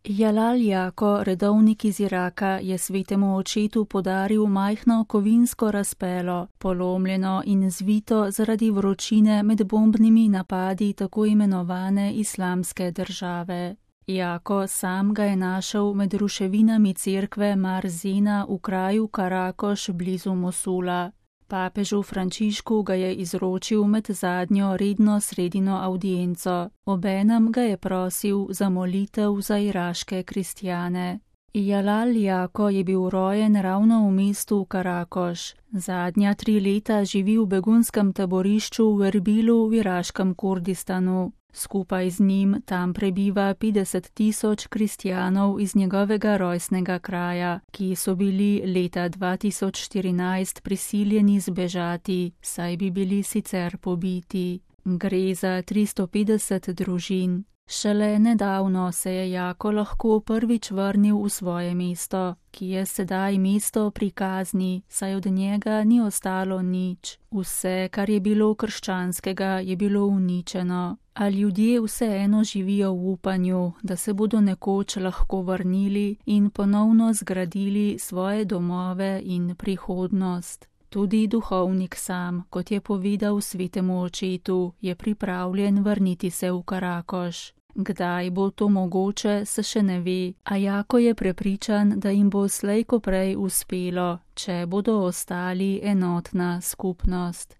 Jalal Jako, redovnik iz Iraka, je svetemu očetu podaril majhno kovinsko razpelo, polomljeno in zvito zaradi vročine med bombnimi napadi tako imenovane Islamske države. Jako sam ga je našel med ruševinami cerkve Mar Zena v kraju Karakoš blizu Mosula. Papežu Frančišku ga je izročil med zadnjo redno sredino avdienco, obenem ga je prosil za molitev za iraške kristjane. Jalal Jako je bil rojen ravno v mestu Karakoš. Zadnja 3 leta živi v begunskem taborišču v Erbilu v iraškem Kurdistanu. Skupaj z njim tam prebiva 50 000 kristjanov iz njegovega rojstnega kraja, ki so bili leta 2014 prisiljeni zbežati, saj bi bili sicer pobiti. Gre za 350 družin. Šele nedavno se je Jako lahko prvič vrnil v svoje mesto, ki je sedaj mesto pri kazni, saj od njega ni ostalo nič. Vse, kar je bilo krščanskega, je bilo uničeno. A ljudje vseeno živijo v upanju, da se bodo nekoč lahko vrnili in ponovno zgradili svoje domove in prihodnost. Tudi duhovnik sam, kot je povedal svetemu očetu, je pripravljen vrniti se v Karakoš. Kdaj bo to mogoče, se še ne ve, a Jako je prepričan, da jim bo slej ko prej uspelo, če bodo ostali enotna skupnost.